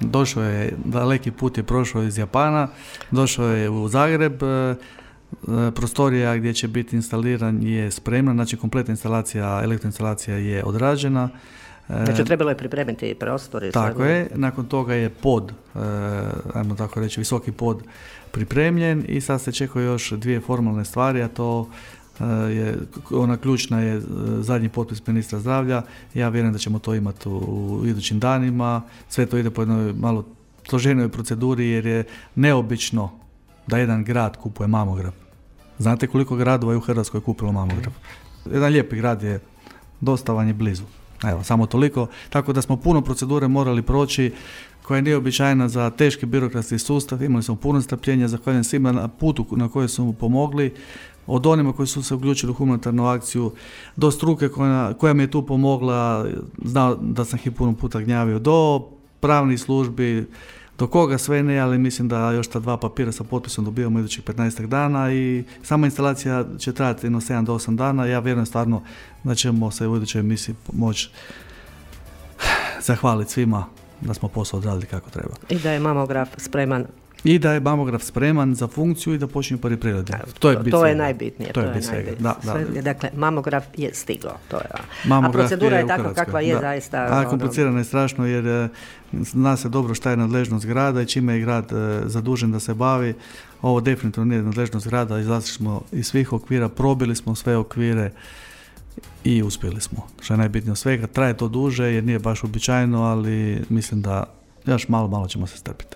Došao je, daleki put je prošao iz Japana, došao je u Zagreb, prostorija gdje će biti instaliran je spremna, znači kompletna elektroinstalacija je odrađena. Znači trebalo je pripremiti prostor. Tako je, nakon toga je pod, ajmo tako reći, visoki pod pripremljen i sad se čekaju još dvije formalne stvari, a to ona ključna je zadnji potpis ministra zdravlja. Ja vjerujem da ćemo to imati u idućim danima. Sve to ide po jednoj malo složenoj proceduri jer je neobično da jedan grad kupuje mamograf. Znate koliko gradova je u Hrvatskoj kupilo mamograf? Jedan lijepi grad je, dosta vam je blizu. Evo, samo toliko. Tako da smo puno procedure morali proći koja je neobičajna za teški birokratski sustav. Imali smo puno strpljenja, zahvaljujem svima na putu na kojoj su mu pomogli. Od onima koji su se uključili u humanitarnu akciju do struke koja mi je tu pomogla, znao da sam ih puno puta gnjavio, do pravnih službi, do koga sve ne, ali mislim da još ta 2 papira sa potpisom dobijamo idućih 15 dana i sama instalacija će trajati 7 do 8 dana. Ja vjerujem stvarno da ćemo se u idućoj emisiji moći zahvaliti svima da smo posao odradili kako treba. I da je mamograf spreman. I da je mamograf spreman za funkciju i da počinju prvi pregledi. To je najbitnije. To je najbitnije. Da. Dakle, mamograf je stigao. A procedura je takva kakva je zaista. A komplicirana je strašno jer zna se dobro šta je nadležnost grada i čime je grad zadužen da se bavi. Ovo definitivno nije nadležnost grada, izlazili smo iz svih okvira, probili smo sve okvire i uspjeli smo. Što je najbitnije od svega. Traje to duže jer nije baš uobičajeno, ali mislim da još malo ćemo se strpiti.